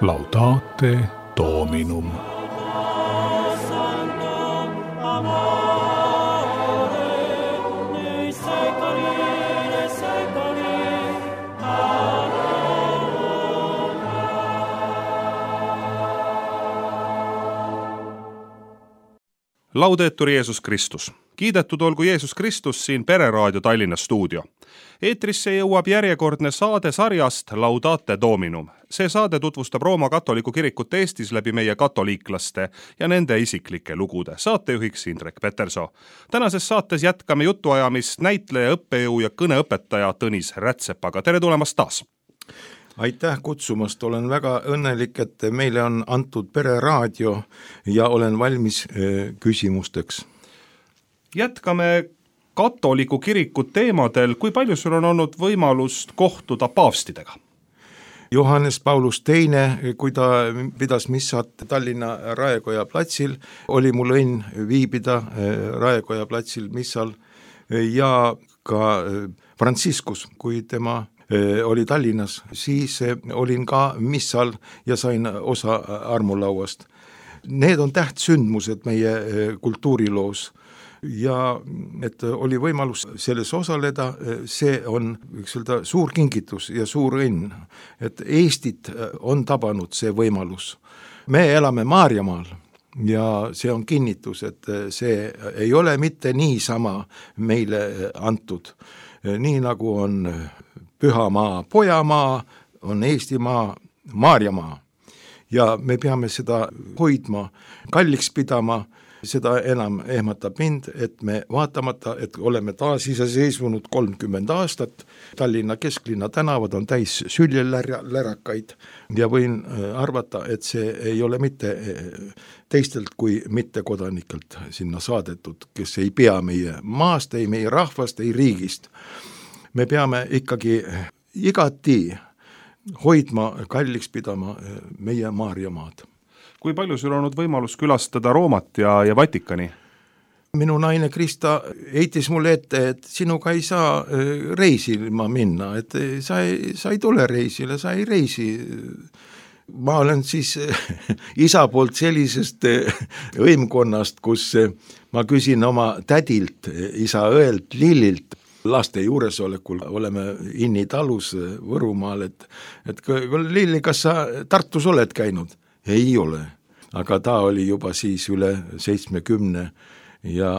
Laudate Dominum. Laudetur Jeesus Kristus. Kiidetud olgu Jeesus Kristus siin Pereraadio Tallinna stuudio. Eetrisse jõuab järjekordne saade sarjast Laudate Dominum. See saade tutvustab Rooma katoliku kirikut Eestis läbi meie katoliiklaste ja nende isiklike lugude. Saatejuhiks Indrek Petersoo. Tänases saates jätkame jutuajamist näitleja, õppejõu ja kõneõpetaja Tõnis Rätsepaga. Tere tulemast taas! Aitäh kutsumast, olen väga õnnelik, et meile on antud Pereraadio ja olen valmis küsimusteks. Jätkame katoliku kiriku teemadel. Kui palju sul on olnud võimalust kohtuda paavstidega? Johannes Paulus II, kui ta pidas missat Tallinna Raekoja platsil, oli mul õnn viibida Raekoja platsil missal ja ka Franciscus, kui tema oli Tallinnas, siis olin ka missal ja sain osa armulauast. Need on tähtsündmused meie kultuuriloos ja et oli võimalus selles osaleda, see on suur kingitus ja suur õnn, et Eestit on tabanud see võimalus. Me elame Maarjamaal ja see on kinnitus, et see ei ole mitte niisama meile antud, nii nagu on Pühamaa, Pojamaa, on Eestimaa, Maarjamaa ja me peame seda hoidma, kalliks pidama, seda enam ehmatab mind, et me vaatamata, et oleme taas iseseisvunud 30 aastat, Tallinna kesklinna tänavad on täis süljelärakaid ja võin arvata, et see ei ole mitte teistelt kui mittekodanikelt sinna saadetud, kes ei pea meie maast, ei meie rahvast, ei riigist. Me peame ikkagi igati hoidma, kalliks pidama meie Maarjamaad. Kui palju sul on olnud võimalus külastada Roomat ja Vatikani? Minu naine Krista heitis mulle ette, et sinuga ei saa reisima minna, et sa ei tule reisile, sa ei reisi. Ma olen siis isa poolt sellisest võimkonnast, kus ma küsin oma tädilt, isa õelt Lillilt, laste juuresolekul oleme Inni talus Võrumaal, et Lilli, kas sa Tartus oled käinud? Ei ole, aga ta oli juba siis üle 70 ja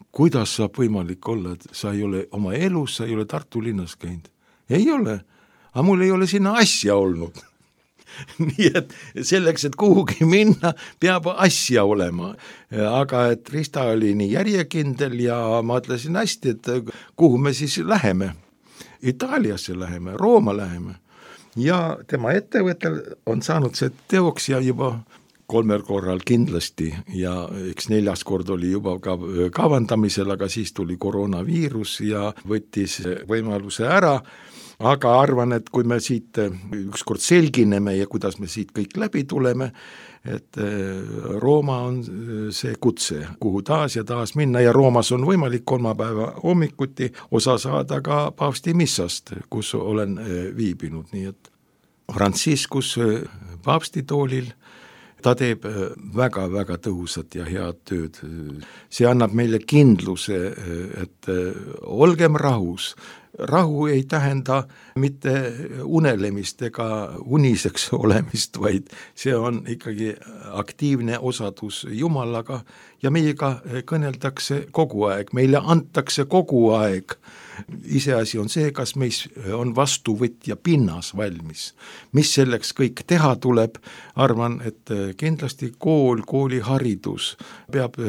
kuidas saab võimalik olla, et sa ei ole oma elus, sa ei ole Tartu linnas käinud? Ei ole, aga mul ei ole sinna asja olnud. Nii et selleks, et kuhugi minna, peab asja olema. Aga et Krista oli nii järjekindel ja ma ütlesin hästi, et kuhu me siis läheme. Itaaliasse läheme, Rooma läheme. Ja tema ettevõttel on saanud see teoks ja juba 3 korral kindlasti ja eks 4. kord oli juba ka kavandamisel, aga siis tuli koroonaviirus ja võttis võimaluse ära. Aga arvan, et kui me siit ükskord selgineme ja kuidas me siit kõik läbi tuleme, et Rooma on see kutse, kuhu taas ja taas minna ja Roomas on võimalik 3 päeva hommikuti osa saada ka paavsti missast, kus olen viibinud. Nii et Franciscus paavstitoolil, ta teeb väga-väga tõhusat ja head tööd. See annab meile kindluse, et olgem rahus. Rahu ei tähenda mitte unelemist ega uniseks olemist, vaid see on ikkagi aktiivne osadus Jumalaga ja meiega kõneldakse kogu aeg, meile antakse kogu aeg. Iseasi on see, kas meis on vastuvõtja pinnas valmis. Mis selleks kõik teha tuleb, arvan, et kindlasti kooliharidus peab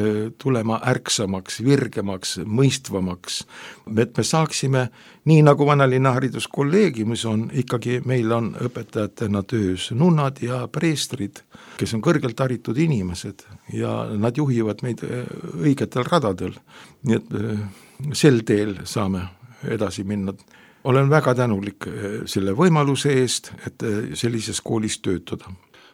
tulema ärksamaks, virgemaks, mõistvamaks, et me saaksime, nii nagu Vanalinna hariduskolleegiumis on, ikkagi meil on õpetajatena töös nunnad ja preestrid, kes on kõrgelt haritud inimesed ja nad juhivad meid õigetel radadel. Nii et sel teel saame edasi minna. Olen väga tänulik selle võimaluse eest, et sellises koolis töötada.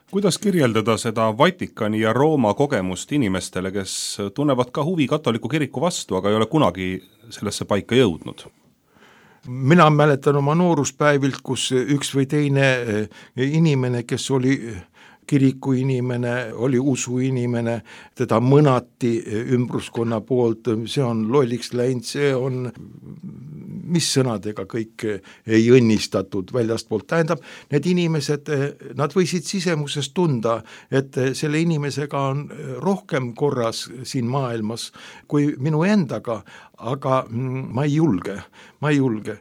Kuidas kirjeldada seda Vatikani ja Rooma kogemust inimestele, kes tunnevad ka huvi katoliku kiriku vastu, aga ei ole kunagi sellesse paika jõudnud? mina mäletan oma nooruspäevilt, kus üks või teine inimene, kes oli kiriku inimene, oli usu inimene, teda mõnati ümbruskonna poolt, see on lolliks läinud, see on, mis sõnadega kõik ei õnnistatud väljastpoolt. Tähendab, need inimesed, nad võisid sisemuses tunda, et selle inimesega on rohkem korras siin maailmas kui minu endaga, aga ma ei julge.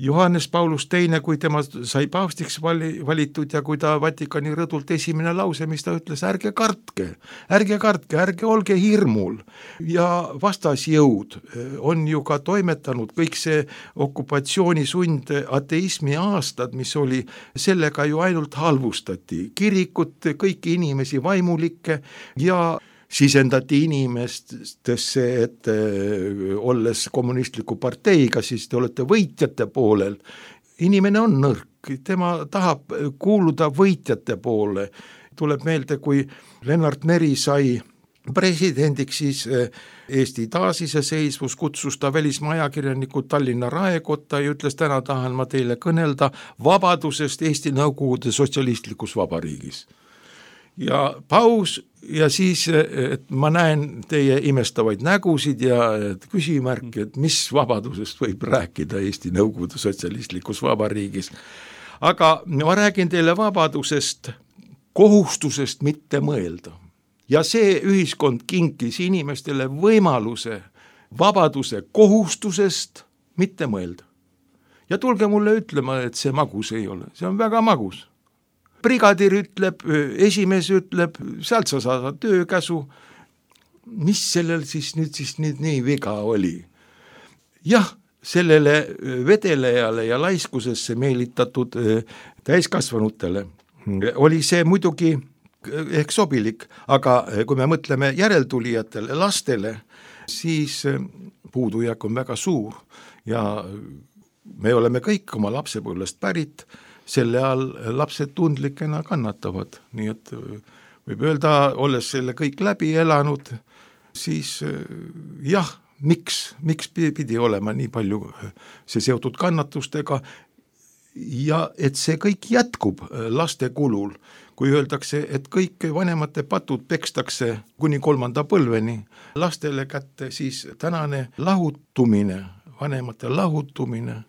Johannes Paulus II, kui tema sai paavstiks valitud ja kui ta Vatikani rõdult esimene lause, mis ta ütles, ärge kartke, ärge olge hirmul. Ja vastasjõud on ju ka toimetanud kõik see okupatsioonisund, ateismi aastad, mis oli, sellega ju ainult halvustati. Kirikut, kõiki inimesi vaimulikke ja sisendati inimestesse, et olles kommunistliku parteiga, siis te olete võitjate poolel. Inimene on nõrk, tema tahab kuuluda võitjate poole. Tuleb meelde, kui Lennart Meri sai presidendiks, siis Eesti taasiseseisvus, kutsus ta välismaa ajakirjanikud Tallinna Raekotta ja ütles, täna tahan ma teile kõnelda vabadusest Eesti Nõukogude sotsialistlikus vabariigis. Ja paus ja siis, et ma näen teie imestavaid nägusid ja küsimärki, et mis vabadusest võib rääkida Eesti Nõukogude sotsialistlikus vabariigis. Aga ma räägin teile vabadusest, kohustusest mitte mõelda. Ja see ühiskond kinkis inimestele võimaluse vabaduse kohustusest mitte mõelda. Ja tulge mulle ütlema, et see magus ei ole, see on väga magus. Brigadir ütleb, esimees ütleb, sealt sa saad töökäsu. Mis sellel siis nüüd nii viga oli? Jah, sellele vedelejale ja laiskusesse meelitatud täiskasvanutele oli see muidugi ehk sobilik, aga kui me mõtleme järeltulijatele, lastele, siis puudujääk on väga suur ja me oleme kõik oma lapsepõlvest pärit, selle all lapsed tundlikena kannatavad, nii et võib öelda, olles selle kõik läbi elanud, siis jah, miks pidi olema nii palju see seotud kannatustega ja et see kõik jätkub laste kulul, kui öeldakse, et kõik vanemate patud pekstakse kuni 3. põlveni lastele kätte, siis tänane lahutumine, vanemate lahutumine,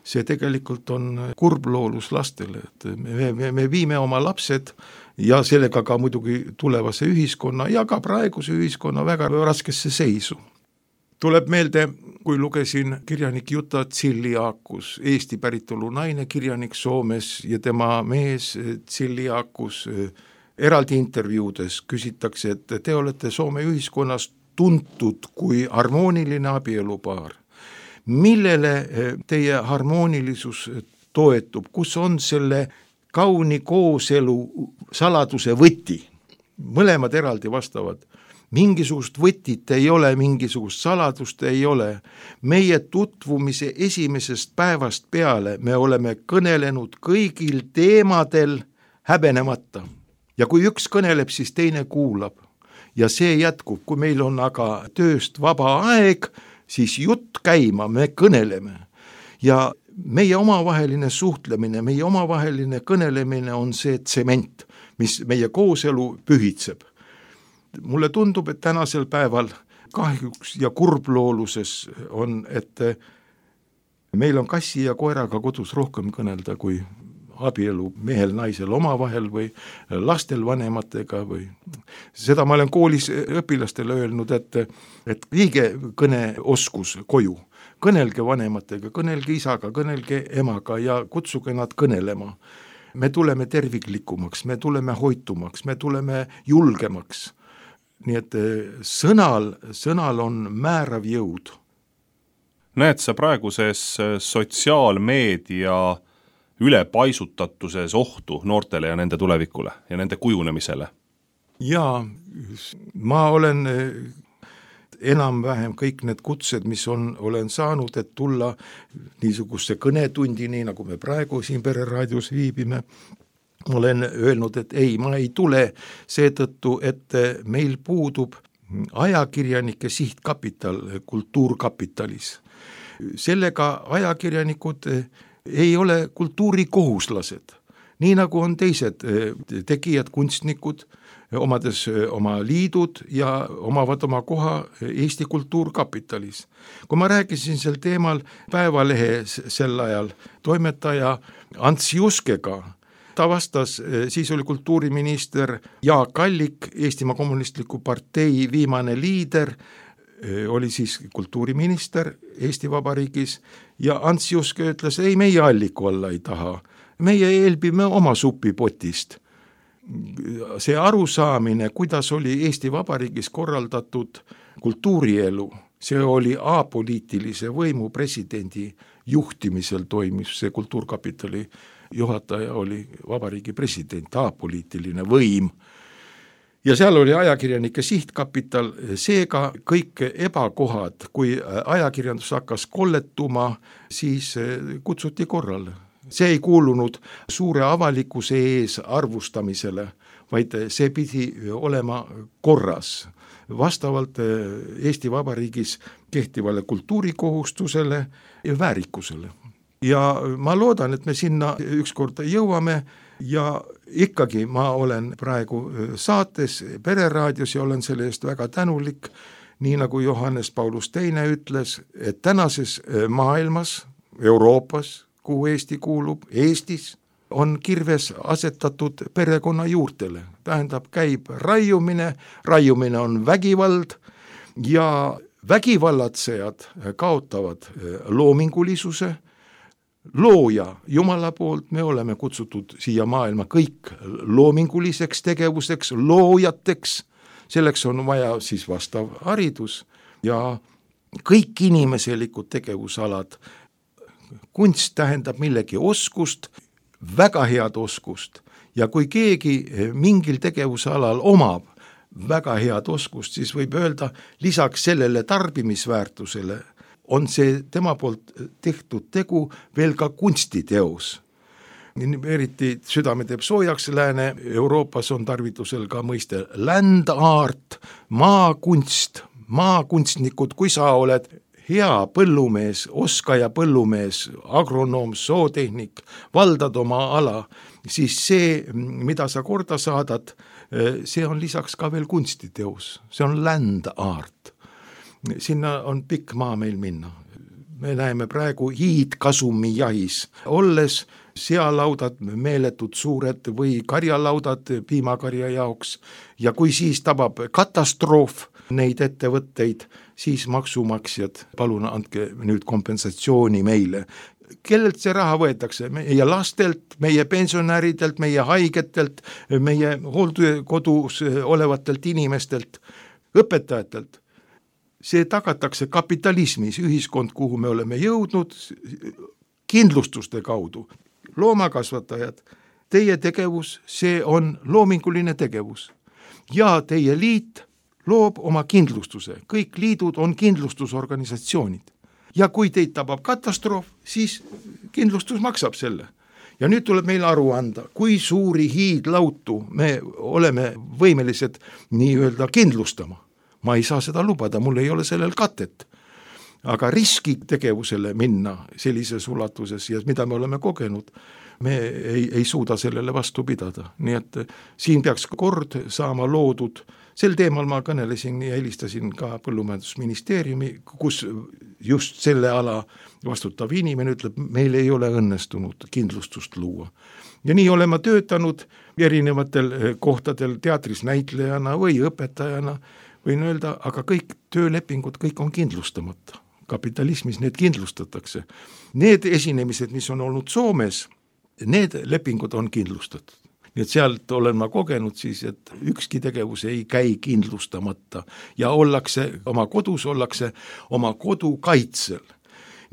see tegelikult on kurbloolus lastele, et me viime oma lapsed ja sellega ka muidugi tulevase ühiskonna ja ka praeguse ühiskonna väga raskesse seisu. Tuleb meelde, kui lugesin kirjanik Jutta Tsiliakus, Eesti päritolu naine, kirjanik Soomes ja tema mees Tsiliakus eraldi intervjuudes küsitakse, et te olete Soome ühiskonnas tuntud kui harmooniline abielupaar. Millele teie harmoonilisus toetub, kus on selle kauni kooselu saladuse võti? Mõlemad eraldi vastavad. Mingisugust võtit ei ole, mingisugust saladust ei ole. Meie tutvumise esimesest päevast peale me oleme kõnelenud kõigil teemadel häbenemata. Ja kui üks kõneleb, siis teine kuulab. Ja see jätkub, kui meil on aga tööst vaba aeg, siis jutt käima, me kõneleme. Ja meie omavaheline suhtlemine, meie omavaheline kõnelemine on see tsement, mis meie kooselu pühitseb. Mulle tundub, et tänasel päeval kahjuks ja kurblooluses on, et meil on kassi ja koeraga kodus rohkem kõnelda kui abielu mehel, naisel omavahel või lastel vanematega või seda ma olen koolis õpilastele öelnud, et viige kõneoskus koju, kõnelge vanematega, kõnelge isaga, kõnelge emaga ja kutsuge nad kõnelema. Me tuleme terviklikumaks, me tuleme hoitumaks, me tuleme julgemaks. Nii et sõnal on määrav jõud. Näed sa praeguses sotsiaalmeedia ülepaisutatuses ohtu noortele ja nende tulevikule ja nende kujunemisele? Jaa, ma olen enam-vähem kõik need kutsed, mis olen saanud, et tulla niisugusse kõnetundini, nagu me praegu siin Pereraadios viibime, olen öelnud, et ei, ma ei tule seetõttu, et meil puudub ajakirjanike sihtkapital kultuurkapitalis. sellega ajakirjanikud ei ole kultuurikohuslased, nii nagu on teised tegijad, kunstnikud, omades oma liidud ja omavad oma koha Eesti Kultuurkapitalis. Kui ma rääkisin sel teemal Päevalehe sel ajal toimetaja Ants Juskega, ta vastas, siis oli kultuuriminister Jaak Allik, Eestimaa Kommunistliku Partei viimane liider, oli siis kultuuriminister Eesti Vabariigis ja Ants Juske ütles, ei, meie Alliku alla ei taha, meie eelbime oma supipotist. See arusaamine, kuidas oli Eesti Vabariigis korraldatud kultuurielu, see oli apoliitilise võimu presidendi juhtimisel toimis, see Kultuurkapitali juhataja oli vabariigi president, apoliitiline võim. Ja seal oli ajakirjanike sihtkapital, seega kõik ebakohad, kui ajakirjandus hakkas kolletuma, siis kutsuti korrale. See ei kuulunud suure avalikkuse ees arvustamisele, vaid see pidi olema korras, vastavalt Eesti Vabariigis kehtivale kultuurikohustusele ja väärikusele. Ja ma loodan, et me sinna ükskord jõuame ja ikkagi ma olen praegu saates Pereraadios ja olen selle eest väga tänulik, nii nagu Johannes Paulus II ütles, et tänases maailmas, Euroopas, kuhu Eesti kuulub, Eestis, on kirves asetatud perekonna juurtele. Tähendab, käib raiumine on vägivald ja vägivallatsejad kaotavad loomingulisuse, looja Jumala poolt, me oleme kutsutud siia maailma kõik loominguliseks tegevuseks, loojateks, selleks on vaja siis vastav haridus ja kõik inimeselikud tegevusalad. Kunst tähendab millegi oskust, väga head oskust ja kui keegi mingil tegevusalal omab väga head oskust, siis võib öelda, lisaks sellele tarbimisväärtusele on see tema poolt tehtud tegu veel ka kunstiteos. Eriti südame teeb soojaks, Lääne-Euroopas on tarvitusel ka mõiste land art, maakunst, maakunstnikud, kui sa oled hea põllumees, oskaja põllumees, agronoom, zootehnik, valdad oma ala, siis see, mida sa korda saadad, see on lisaks ka veel kunstiteos, see on land art. Sinna on pikk maa meil minna. Me näeme praegu hiidkasumi jahis, olles sealaudad meeletud suured või karjalaudad piimakarja jaoks ja kui siis tabab katastroof neid ettevõtteid, siis maksumaksjad, palun andke nüüd kompensatsiooni meile. Kellelt see raha võetakse? Meie lastelt, meie pensionäridelt, meie haigetelt, meie hooldekodus olevatelt inimestelt, õpetajatelt. See tagatakse kapitalismis, ühiskond, kuhu me oleme jõudnud, kindlustuste kaudu. Loomakasvatajad, teie tegevus, see on loominguline tegevus ja teie liit loob oma kindlustuse. Kõik liidud on kindlustusorganisatsioonid. Ja kui teid tabab katastroof, siis kindlustus maksab selle. Ja nüüd tuleb meil aru anda, kui suuri hiidlautu me oleme võimelised nii-öelda kindlustama. Ma ei saa seda lubada, mul ei ole sellel katet. Aga riskitegevusele minna sellises ulatuses ja mida me oleme kogenud, me ei suuda sellele vastu pidada. Nii et siin peaks kord saama loodud. Sel teemal ma kõnelesin ja helistasin ka Põllumajandusministeeriumi, kus just selle ala vastutav inimene ütleb, meil ei ole õnnestunud kindlustust luua. Ja nii olema töötanud erinevatel kohtadel teatris näitlejana või õpetajana, võin öelda, aga kõik töölepingud, kõik on kindlustamata. Kapitalismis need kindlustatakse. Need esinemised, mis on olnud Soomes, need lepingud on kindlustatud. Nii et sealt olen ma kogenud siis, et ükski tegevus ei käi kindlustamata ja oma kodus ollakse oma kodu kaitsel.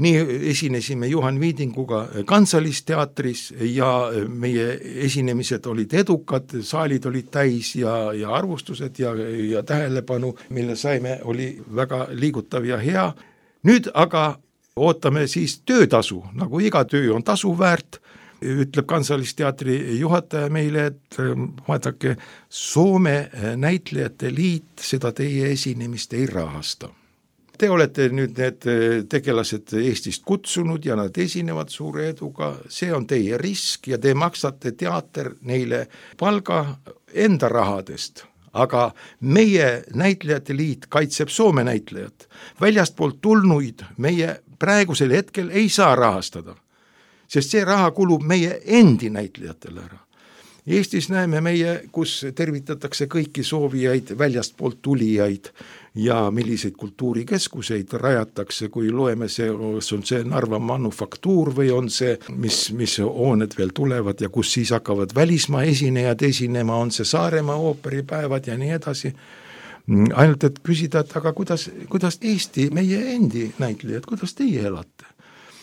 Nii esinesime Juhan Viidinguga Kantsalisteatris ja meie esinemised olid edukad, saalid olid täis ja arvustused ja tähelepanu, mille saime, oli väga liigutav ja hea. Nüüd aga ootame siis töötasu, nagu iga töö on tasu väärt, ütleb Kantsalisteatri juhataja meile, et vaadake, Soome näitlejate liit seda teie esinemist ei rahasta. te olete nüüd need tegelased Eestist kutsunud ja nad esinevad suure eduga, see on teie risk ja te maksate teater neile palga enda rahadest. Aga meie näitlejate liit kaitseb Soome näitlejat. Väljastpoolt tulnuid meie praegusel hetkel ei saa rahastada, sest see raha kulub meie endi näitlejatele ära. Eestis näeme meie, kus tervitatakse kõiki soovijaid, väljastpoolt tulijaid ja milliseid kultuurikeskuseid rajatakse, kui loeme see, on see Narva manufaktuur või on see, mis hooned veel tulevad ja kus siis hakkavad välismaa esinejad esinema, on see Saaremaa ooperipäevad ja nii edasi. Ainult et küsida, et aga kuidas Eesti, meie endi näitlejad, kuidas teie elate?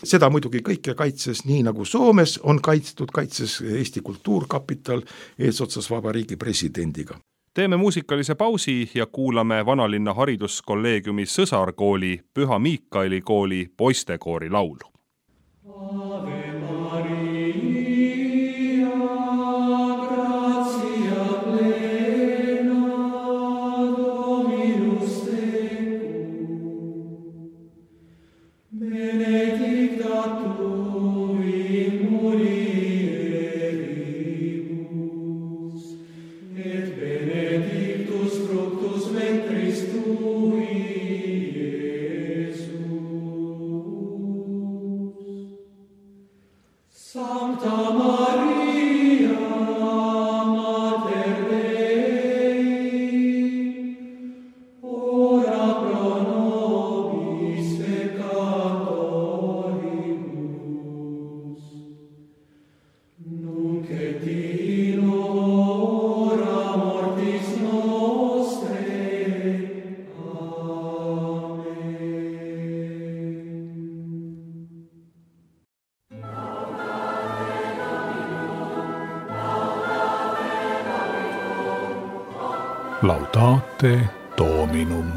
Seda muidugi kõike kaitses nii nagu Soomes on kaitses Eesti Kultuurkapital eesotsas Vabariigi presidendiga. Teeme muusikalise pausi ja kuulame Vanalinna hariduskolleegiumi sõsarkooli Püha Miikaeli kooli poistekoori laulu. Laudate Dominum.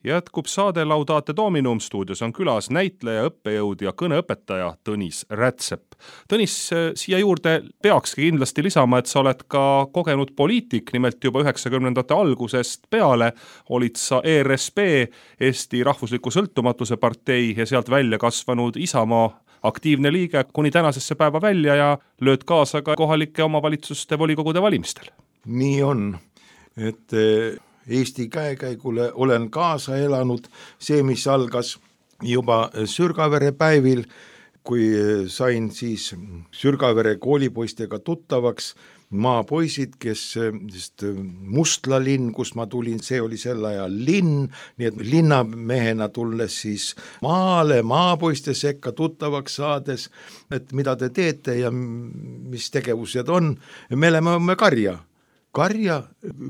Jätkub saade Laudate Dominum, stuudios on külas näitleja, õppejõud ja kõneõpetaja Tõnis Rätsep. Tõnis, siia juurde peakski kindlasti lisama, et sa oled ka kogenud poliitik, nimelt juba 90ndate algusest peale olid sa ERSP, Eesti Rahvusliku Sõltumatuse partei ja sealt välja kasvanud Isamaa aktiivne liige kuni tänasesse päeva välja ja lööd kaasa ka kohalike omavalitsuste volikogude valimistel. Nii on, et Eesti käekäigule olen kaasa elanud, see, mis algas juba Sürgavere päevil, kui sain siis Sürgavere koolipoistega tuttavaks, maapoisid, kes sest Mustla linn, kus ma tulin, see oli sel ajal linn, nii et linnamehena tulles siis maale, maapoiste sekka tuttavaks saades, et mida te teete ja mis tegevused on. Me oleme karja,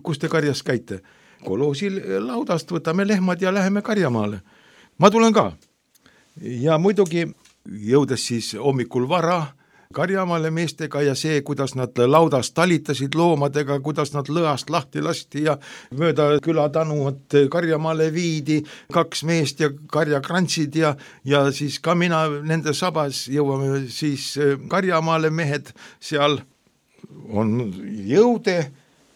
kus te karjas käite? Koloosil laudast võtame lehmad ja läheme karjamaale. Ma tulen ka. Ja muidugi jõudes siis hommikul vara karjamaale meestega ja see, kuidas nad laudast talitasid loomadega, kuidas nad lõast lahti lasti ja mööda külatanumat karjamaale viidi, 2 meest ja karjakrantsid ja siis ka mina nende sabas jõuame siis karjamaale, mehed seal on jõude,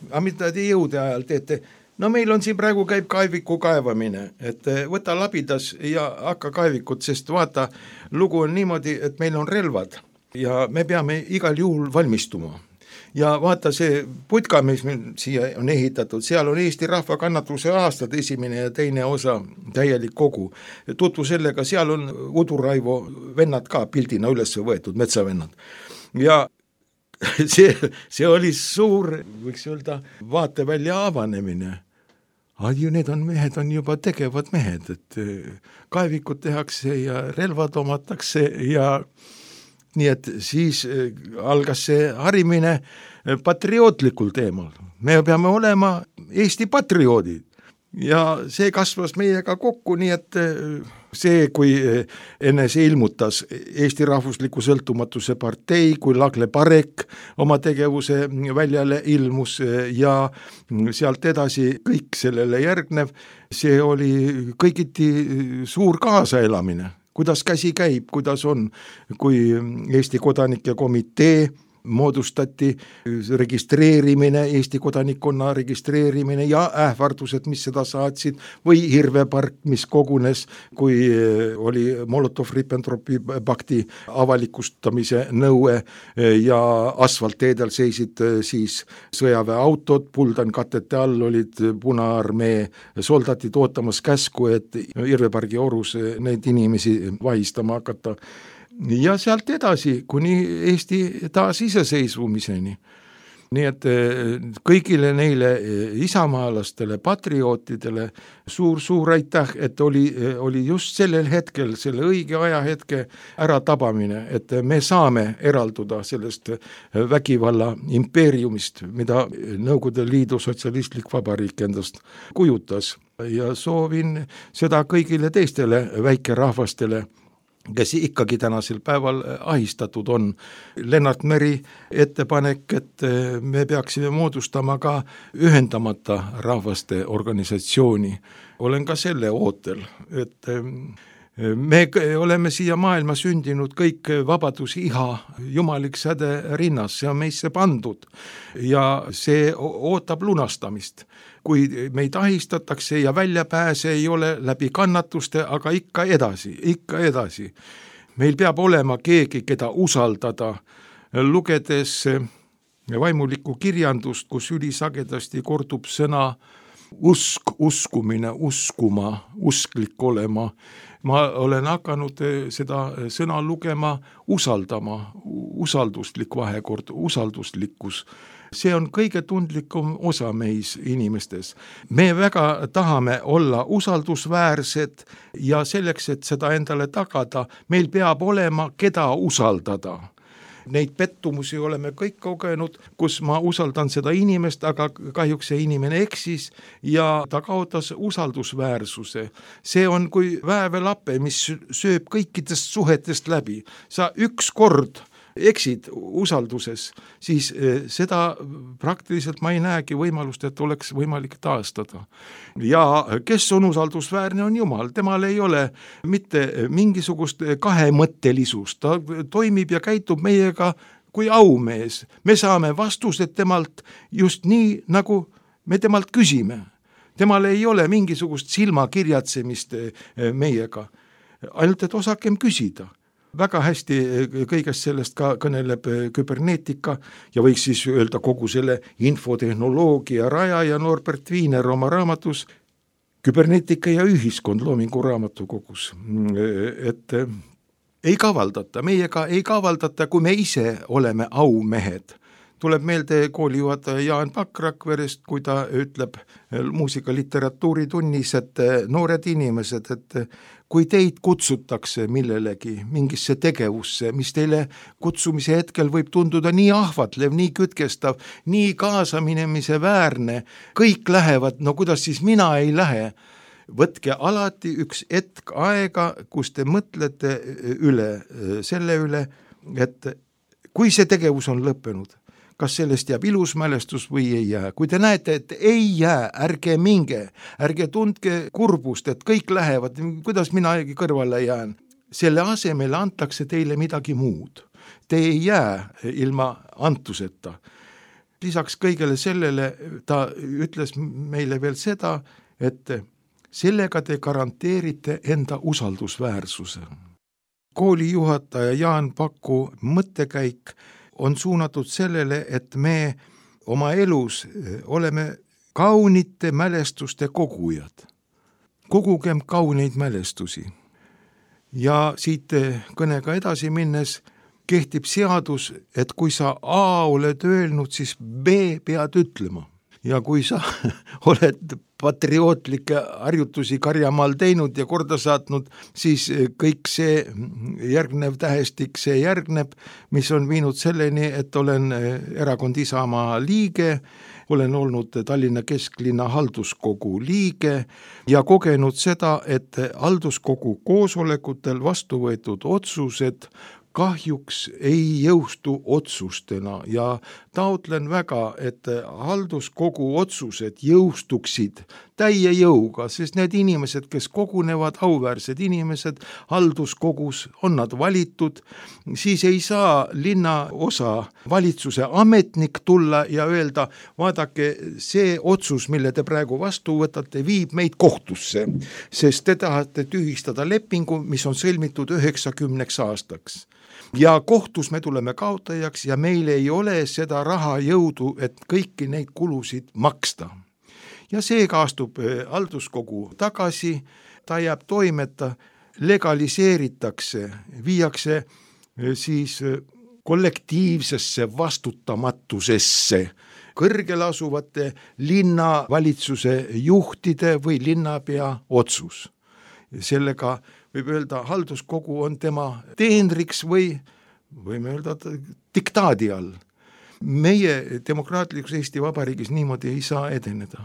aga mida te jõude ajal teete? No meil on siin praegu käib kaeviku kaevamine, et võta labidas ja hakka kaevikut, sest vaata, lugu on niimoodi, et meil on relvad ja me peame igal juhul valmistuma. Ja vaata see putka, mis meil siia on ehitatud, seal on Eesti rahva kannatuse aastad 1. ja 2. osa täielik kogu. Tutvu sellega, seal on Uduraivo vennad ka pildina üles võetud, metsavennad. Ja see oli suur, võiks öelda, vaatevälja avanemine. Need mehed on juba tegevad mehed, et kaevikud tehakse ja relvad omatakse ja nii et siis algas see harimine patriootlikul teemal. Me peame olema Eesti patrioodid ja see kasvas meiega kokku, nii et see, kui enne see ilmutas Eesti Rahvusliku Sõltumatuse partei, kui Lagle Parek oma tegevuse väljale ilmus ja sealt edasi kõik sellele järgnev, see oli kõigiti suur kaasaelamine. Kuidas käsi käib, kuidas on, kui Eesti Kodanike Komitee moodustati registreerimine, Eesti kodanikkonna registreerimine ja ähvardused, mis seda saatsid, või Hirvepark, mis kogunes, kui oli Molotov-Ribbentropi pakti avalikustamise nõue ja asfaltteedel seisid siis sõjaväeautod, puldankatete all olid Punaarmee soldatid ootamas käsku, et Hirvepargi orus neid inimesi vahistama hakata. Ja sealt edasi kuni Eesti taasiseseisvumiseni. Nii et kõigile neile isamaalastele, patriootidele suur aitäh, et oli just sellel hetkel, selle õige ajahetke äratabamine, et me saame eralduda sellest vägivalla impeeriumist, mida Nõukogude Liidu sotsialistlik vabariik endast kujutas. Ja soovin seda kõigile teistele väikerahvastele, kes ikkagi tänasel päeval ahistatud on. Lennart Meri ettepanek, et me peaksime moodustama ka ühendamata rahvaste organisatsiooni. Olen ka selle ootel, et me oleme siia maailma sündinud kõik vabadusiha, jumalik säde rinnas, see on meisse pandud ja see ootab lunastamist. Kui meid ahistatakse ja väljapääse ei ole läbi kannatuste, aga ikka edasi. Meil peab olema keegi, keda usaldada, lugedes vaimulikku kirjandust, kus ülisagedasti kordub sõna usk, uskumine, uskuma, usklik olema. Ma olen hakanud seda sõna lugema usaldama, usalduslik vahekord, usalduslikkus. See on kõige tundlikum osa meis inimestes. Me väga tahame olla usaldusväärsed ja selleks, et seda endale tagada, meil peab olema, keda usaldada. Neid pettumusi oleme kõik kogenud, kus ma usaldan seda inimest, aga kahjuks see inimene eksis ja ta kaotas usaldusväärsuse. See on kui väävelappe, mis sööb kõikidest suhetest läbi. Sa üks kord eksid usalduses, siis seda praktiliselt ma ei näegi võimalust, et oleks võimalik taastada. Ja kes on usaldusväärne, on Jumal. Temal ei ole mitte mingisugust kahemõttelisust. Ta toimib ja käitub meiega kui aumees. Me saame vastused temalt just nii, nagu me temalt küsime. Temal ei ole mingisugust silmakirjatsemist meiega. Ainult, et osakem küsida. Väga hästi kõigest sellest ka kõneleb küberneetika ja võiks siis öelda kogu selle infotehnoloogia rajaja Norbert Wiener oma raamatus Küberneetika ja ühiskond loomingu raamatukogus. Et ei kavaldata, meiega ei kavaldata, kui me ise oleme aumehed. Tuleb meelde koolijuhataja Jaan Pakk Rakverest, kui ta ütleb muusikaliteratuuri tunnis, et noored inimesed, et kui teid kutsutakse millelegi, mingisse tegevusse, mis teile kutsumise hetkel võib tunduda nii ahvatlev, nii kütkestav, nii kaasaminemise väärne, kõik lähevad, no kuidas siis mina ei lähe? Võtke alati üks hetk aega, kus te mõtlete selle üle, et kui see tegevus on lõppenud, kas sellest jääb ilus mälestus või ei jää. Kui te näete, et ei jää, ärge minge, ärge tundke kurbust, et kõik lähevad, kuidas mina kõrvale jään. Selle asemel antakse teile midagi muud. Te ei jää ilma antuseta. Lisaks kõigele sellele ta ütles meile veel seda, et sellega te garanteerite enda usaldusväärsuse. Koolijuhataja Jaan Paku mõttekäik on suunatud sellele, et me oma elus oleme kaunite mälestuste kogujad. Kogugem kauneid mälestusi. Ja siit kõnega edasi minnes kehtib seadus, et kui sa A oled öelnud, siis B pead ütlema. Ja kui sa oled patriootlikke harjutusi Karjamaal teinud ja korda saatnud, siis kõik see järgnev tähestik, see järgneb, mis on viinud selleni, et olen erakond Isamaa liige, olen olnud Tallinna kesklinna halduskogu liige ja kogenud seda, et halduskogu koosolekutel vastu võetud otsused kahjuks ei jõustu otsustena ja taotlen väga, et halduskogu otsused jõustuksid täie jõuga, sest need inimesed, kes kogunevad, auväärsed inimesed, halduskogus on nad valitud, siis ei saa linnaosa valitsuse ametnik tulla ja öelda, vaadake, see otsus, mille te praegu vastu võtate, viib meid kohtusse, sest te tahate tühistada lepingu, mis on sõlmitud 90 aastaks. Ja kohtus me tuleme kaotajaks ja meil ei ole seda raha jõudu, et kõiki neid kulusid maksta. Ja seega astub halduskogu tagasi, ta jääb toimeta, legaliseeritakse, viiakse siis kollektiivsesse vastutamatusesse kõrgel asuvate linnavalitsuse juhtide või linnapea otsus. Sellega võib öelda, halduskogu on tema teenriks või võime öelda diktaadi all. Meie demokraatlikus Eesti Vabariigis niimoodi ei saa edeneda.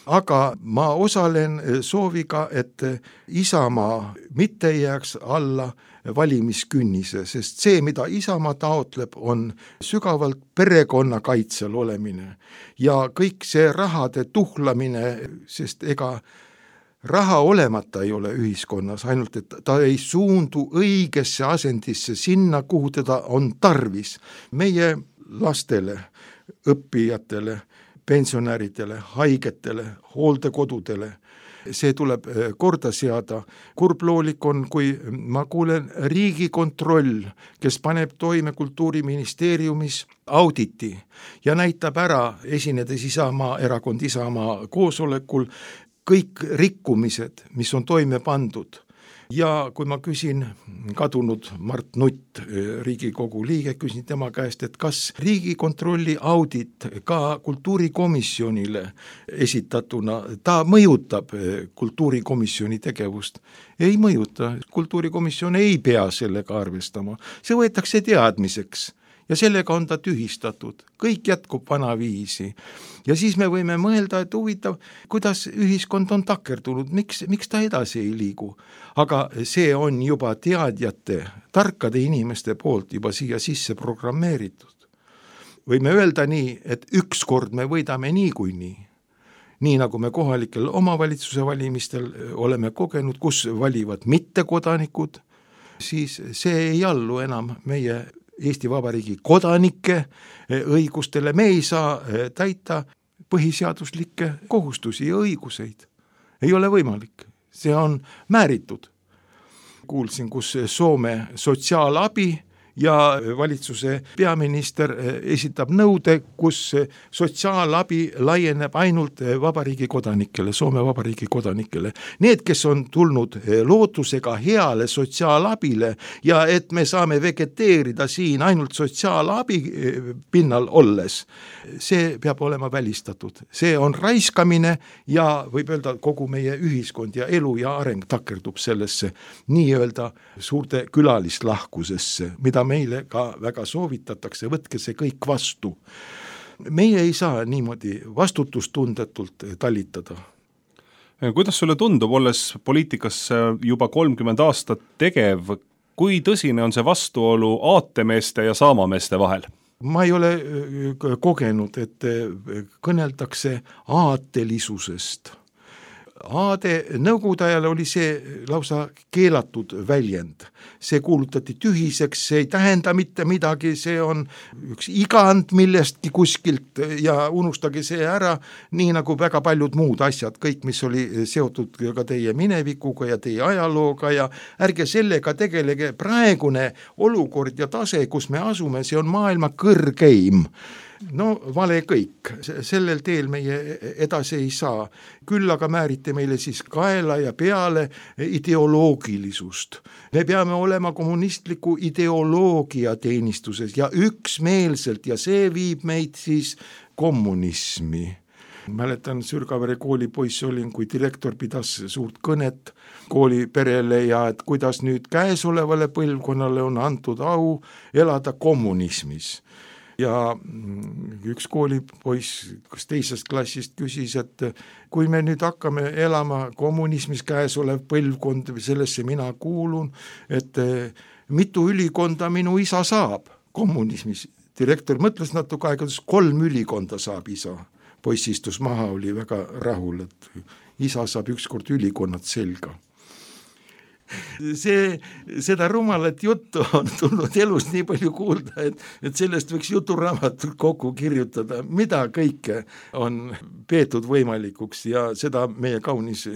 Aga ma osalen sooviga, et Isamaa mitte jääks alla valimiskünnise, sest see, mida Isamaa taotleb, on sügavalt perekonnakaitsel olemine ja kõik see rahade tuhlamine, sest ega raha olemata ei ole ühiskonnas, ainult et ta ei suundu õigesse asendisse sinna, kuhu teda on tarvis. Meie lastele, õppijatele, pensionäridele, haigetele, hooldekodudele, see tuleb korda seada. Kurbloolik on, kui ma kuulen Riigikontroll, kes paneb toime Kultuuriministeeriumis auditi ja näitab ära, esinedes erakond Isamaa koosolekul, kõik rikkumised, mis on toime pandud. Ja kui ma küsin kadunud Mart Nutt, Riigikogu liige, küsin tema käest, et kas Riigikontrolli audit ka kultuurikomisjonile esitatuna, ta mõjutab kultuurikomisjoni tegevust? Ei mõjuta, kultuurikomisjon ei pea sellega arvestama, see võetakse teadmiseks. Ja sellega on ta tühistatud, kõik jätkub vanaviisi. Ja siis me võime mõelda, et huvitav, kuidas ühiskond on takerdunud, miks ta edasi ei liigu. Aga see on juba teadjate, tarkade inimeste poolt juba siia sisse programmeeritud. Võime öelda nii, et ükskord me võidame niikuinii. Nii nagu me kohalikel omavalitsuse valimistel oleme kogenud, kus valivad mittekodanikud, siis see ei allu enam meie Eesti Vabariigi kodanike õigustele, me ei saa täita põhiseaduslikke kohustusi ja õiguseid. Ei ole võimalik, see on määritud. Kuulsin, kus Soome sotsiaalabi ja valitsuse peaminister esitab nõude, kus sotsiaalabi laieneb ainult vabariigi kodanikele, Soome vabariigi kodanikele. Need, kes on tulnud lootusega heale sotsiaalabile ja et me saame vegeteerida siin ainult sotsiaalabi pinnal olles, see peab olema välistatud. See on raiskamine ja võib öelda kogu meie ühiskond ja elu ja areng takerdub sellesse nii-öelda suurte külalislahkusesse, mida meile ka väga soovitatakse, võtke see kõik vastu. Meie ei saa niimoodi vastutustundetult talitada. Kuidas sulle tundub, olles poliitikas juba 30 aastat tegev, kui tõsine on see vastuolu aatemeeste ja saamameeste vahel? Ma ei ole kogenud, et kõneldakse aatelisusest. Aade nõukogude ajal oli see lausa keelatud väljend. See kuulutati tühiseks, see ei tähenda mitte midagi, see on üks igand millestki kuskilt ja unustage see ära, nii nagu väga paljud muud asjad, kõik, mis oli seotud ka teie minevikuga ja teie ajalooga ja ärge sellega tegelege. Praegune olukord ja tase, kus me asume, see on maailma kõrgeim. No vale kõik, sellel teel meie edasi ei saa. Küll aga määrite meile siis kaela ja peale ideoloogilisust. Me peame olema kommunistliku ideoloogia teenistuses ja üksmeelselt ja see viib meid siis kommunismi. Mäletan, Sürgavere kooli poiss olin, kui direktor pidas suurt kõnet kooli perele ja et kuidas nüüd käesolevale põlvkonnale on antud au elada kommunismis. Ja üks koolipoiss teisest klassist küsis, et kui me nüüd hakkame elama kommunismis, käesolev põlvkond, sellesse mina kuulun, et mitu ülikonda minu isa saab kommunismis. Direktor mõtles natuke aega, 3 ülikonda saab isa. poiss istus maha, oli väga rahul, et isa saab ükskord ülikonnad selga. Seda rumalat juttu on tulnud elus nii palju kuulda, et sellest võiks juturaamatut kokku kirjutada, mida kõike on peetud võimalikuks ja seda meie kaunis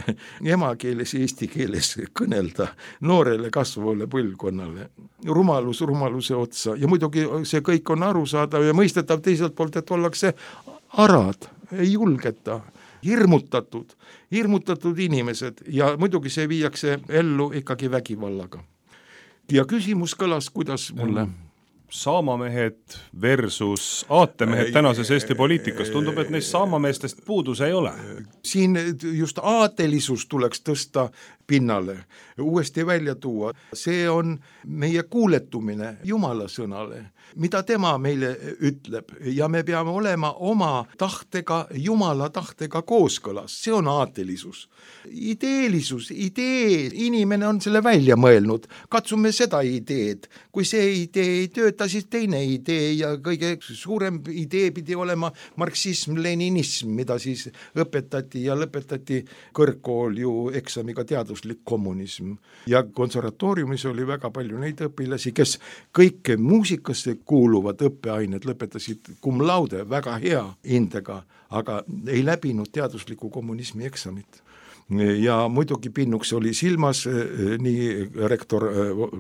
emakeeles ja eesti keeles kõnelda noorele kasvavale põlvkonnale. Rumaluse otsa ja muidugi see kõik on arusaadav ja mõistetav teiselt poolt, et ollakse arad, ei julgeta, hirmutatud inimesed ja muidugi see viiakse ellu ikkagi vägivallaga. Ja küsimus kõlas, kuidas mulle? Saamamehed versus aatemehed tänases Eesti poliitikas. Tundub, et neist saamameestest puudus ei ole. Siin just aatelisus tuleks tõsta pinnale, uuesti välja tuua. See on meie kuuletumine Jumala sõnale, mida tema meile ütleb ja me peame olema oma tahtega, Jumala tahtega kooskõlas. See on aatelisus. Ideelisus, inimene on selle välja mõelnud. Katsume seda ideed. Kui see idee ei tööta, siis teine idee ja kõige suurem idee pidi olema marksism-leninism, mida siis õpetati ja lõpetati kõrgkool ju eksamiga teaduslik kommunism. Ja konservatooriumis oli väga palju neid õpilasi, kes kõik muusikasse kuuluvad õppeained lõpetasid cum laude väga hea hindega, aga ei läbinud teadusliku kommunismi eksamit. Ja muidugi pinnuks oli silmas nii rektor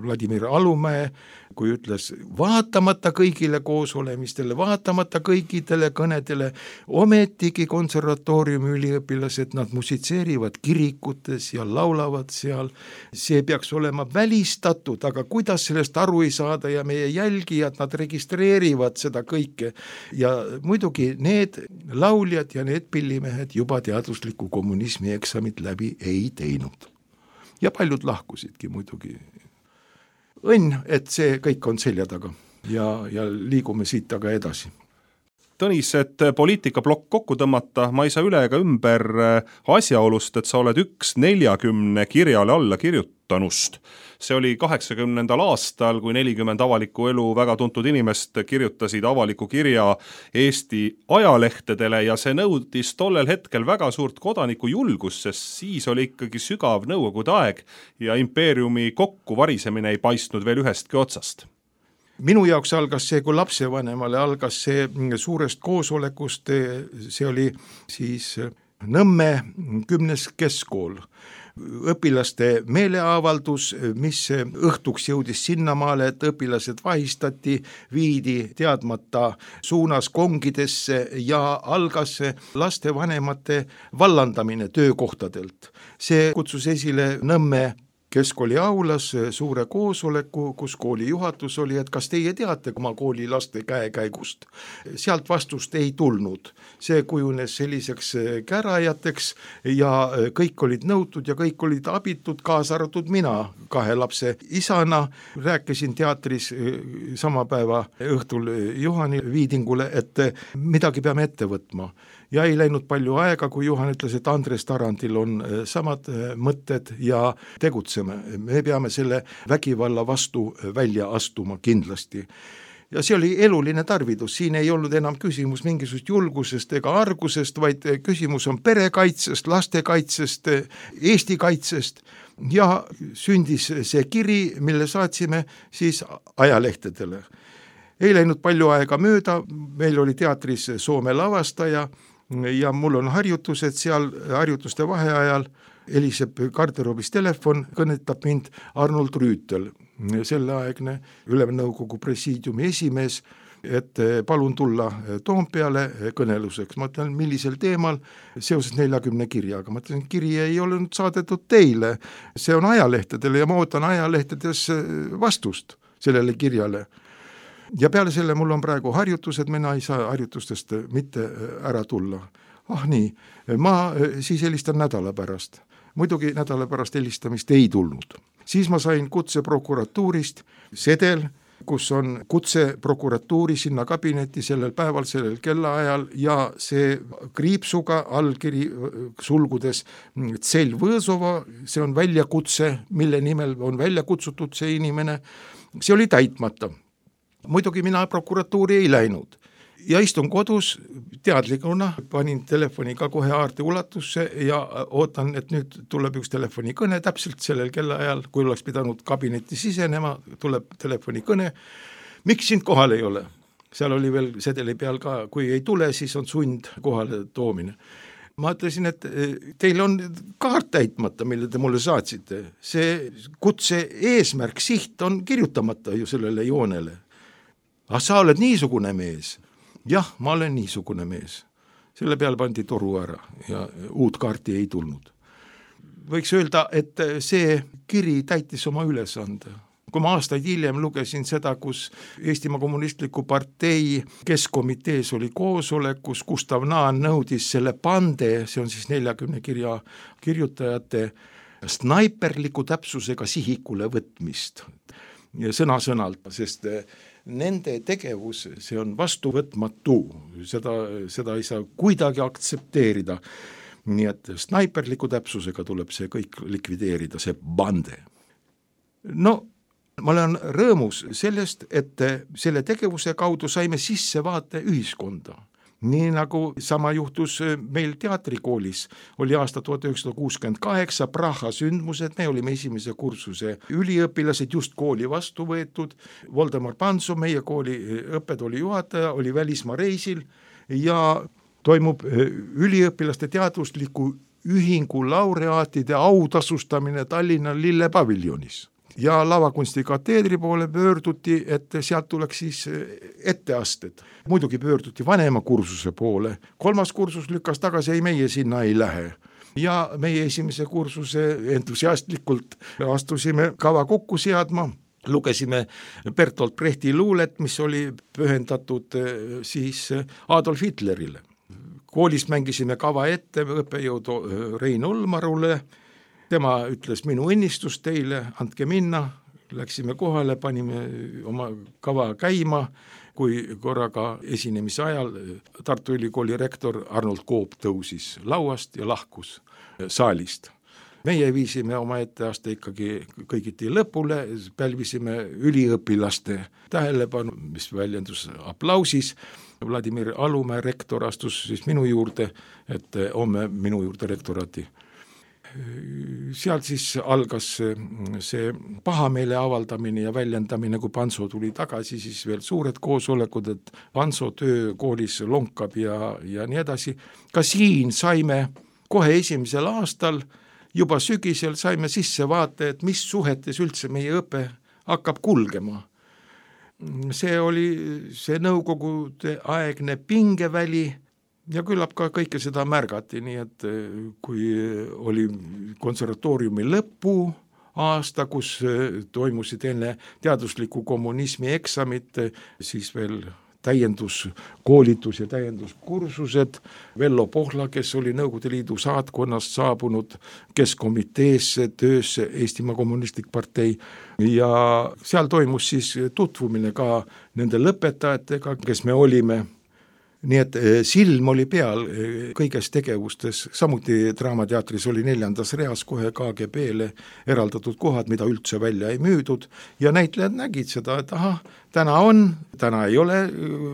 Vladimir Alumäe, kui ütles, vaatamata kõigile koosolemistele, vaatamata kõikidele kõnedele, ometigi konservatooriumi üliõpilased, nad musitseerivad kirikutes ja laulavad seal. See peaks olema välistatud, aga kuidas sellest aru ei saada ja meie jälgijad, nad registreerivad seda kõike. Ja muidugi need lauljad ja need pillimehed juba teadusliku kommunismi eksamit läbi ei teinud. Ja paljud lahkusidki muidugi. Õnn, et see kõik on selja taga ja liigume siit taga edasi. Tõnis, et poliitikablokk kokku tõmmata, ma ei saa üle ega ümber asjaolust, et sa oled 140 kirjale alla kirjutanust. See oli 80. aastal, kui 40 avaliku elu väga tuntud inimest kirjutasid avaliku kirja Eesti ajalehtedele ja see nõudis tollel hetkel väga suurt kodaniku julgust, sest siis oli ikkagi sügav nõukogude aeg ja impeeriumi kokkuvarisemine ei paistnud veel ühestki otsast. Minu jaoks algas see, kui lapsevanemale algas see suurest koosolekust, see oli siis Nõmme 10. keskkool. Õpilaste meeleavaldus, mis õhtuks jõudis sinnamaale, et õpilased vahistati, viidi teadmata suunas kongidesse ja algas lastevanemate vallandamine töökohtadelt. See kutsus esile Nõmme keskkooli aulas suure koosoleku, kus kooli juhatus oli, et kas teie teate oma kooli laste käekäigust. Sealt vastust ei tulnud. See kujunes selliseks kärajateks ja kõik olid nõutud ja kõik olid abitud, kaasa arvatud mina 2 lapse isana. Rääkisin teatris sama päeva õhtul Juhani Viidingule, et midagi peame ette võtma. Ja ei läinud palju aega, kui Juhan ütles, et Andres Tarandil on samad mõtted ja tegutseme. Me peame selle vägivalla vastu välja astuma kindlasti. Ja see oli eluline tarvidus, siin ei olnud enam küsimus mingisugust julgusest ega argusest, vaid küsimus on perekaitsest, lastekaitsest, Eesti kaitsest ja sündis see kiri, mille saatsime siis ajalehtedele. Ei läinud palju aega mööda, meil oli teatris Soome lavastaja ja mul on harjutused seal, harjutuste vaheajal heliseb garderoobis telefon, kõnetab mind Arnold Rüütel, selleaegne Ülemnõukogu presiidiumi esimees, et palun tulla Toompeale kõneluseks. Ma ütlen, millisel teemal, seoses 40 kirjaga. Ma ütlen, kiri ei ole saadetud teile, see on ajalehtedele ja ma ootan ajalehtedes vastust sellele kirjale. Ja peale selle mul on praegu harjutused, mina ei saa harjutustest mitte ära tulla. Nii, ma siis helistan nädala pärast. Muidugi nädala pärast helistamist ei tulnud. Siis ma sain kutse prokuratuurist, sedel, kus on kutse prokuratuuri sinna kabinetti sellel päeval, sellel kellaajal ja see kriipsuga allkiri sulgudes Tsell Võõsova, see on väljakutse, mille nimel on välja kutsutud see inimene, see oli täitmata. Muidugi mina prokuratuuri ei läinud ja istun kodus teadlikuna, panin telefoni ka kohe haarde ulatusse ja ootan, et nüüd tuleb üks telefonikõne täpselt sellel kellaajal, kui oleks pidanud kabinetti sisenema, tuleb telefonikõne. Miks sind kohal ei ole? Seal oli veel sedeli peal ka, kui ei tule, siis on sund kohale toomine. Ma ütlesin, et teil on kaart täitmata, mille te mulle saatsite. See kutse eesmärk, siht on kirjutamata ju sellele joonele. Sa oled niisugune mees. Jah, ma olen niisugune mees. Selle peal pandi toru ära ja uut kaarti ei tulnud. Võiks öelda, et see kiri täitis oma ülesande. Kui ma aastaid hiljem lugesin seda, kus Eestimaa Kommunistliku Partei keskkomitees oli koosolek, kus Gustav Naan nõudis selle pande, see on siis 40 kirja kirjutajate, snaiperliku täpsusega sihikule võtmist. Ja sõna-sõnalt, sest nende tegevus, see on vastuvõtmatu, seda ei saa kuidagi aktsepteerida. Nii et snaiperliku täpsusega tuleb see kõik likvideerida, see bande. No, ma olen rõõmus sellest, et selle tegevuse kaudu saime sisse vaate ühiskonda. Nii nagu sama juhtus meil teatrikoolis, oli aasta 1968 Praha sündmused, me olime esimese kursuse üliõpilased, just kooli vastu võetud. Voldemar Panso, meie kooli õppetooli juhataja, oli välismaa reisil ja toimub üliõpilaste teadusliku ühingu laureaatide autasustamine Tallinna Lillepaviljonis. Ja lavakunsti kateedri poole pöörduti, et sealt tuleks siis etteasted. Muidugi pöörduti vanema kursuse poole. 3. kursus lükkas tagasi, ei meie sinna ei lähe. Ja meie esimese kursuse entusiastlikult astusime kava kokku seadma. Lugesime Bertolt Brechti luulet, mis oli pühendatud siis Adolf Hitlerile. Koolis mängisime kava ette õppejõudu Rein Olmarule. Tema ütles minu õnnistus teile, andke minna, läksime kohale, panime oma kava käima, kui korraga esinemise ajal Tartu Ülikooli rektor Arnold Koop tõusis lauast ja lahkus saalist. Meie viisime oma etteaste ikkagi kõigiti lõpule, pälvisime üliõpilaste tähelepanu, mis väljendus aplausis. Vladimir Alumäe rektor astus siis minu juurde, et homme minu juurde rektorati. Sealt siis algas see pahameele avaldamine ja väljendamine, kui Panso tuli tagasi, siis veel suured koosolekud, et Panso töö koolis lonkab ja nii edasi. Ka siin saime kohe esimesel aastal, juba sügisel saime sisse vaate, et mis suhetes üldse meie õpe hakkab kulgema. See oli see nõukogude aegne pingeväli, ja küllap ka kõike seda märgati, nii et kui oli konservatooriumi lõpu aasta, kus toimusid enne teadusliku kommunismi eksamit, siis veel täienduskoolitus ja täienduskursused. Vello Pohla, kes oli Nõukogude Liidu saatkonnast saabunud keskkomiteesse töösse Eestimaa Kommunistlik Partei ja seal toimus siis tutvumine ka nende lõpetajatega, kes me olime. Nii et silm oli peal kõiges tegevustes, samuti Draamateatris oli 4. reas kohe KGB-le eraldatud kohad, mida üldse välja ei müüdud ja näitlejad nägid seda, et täna ei ole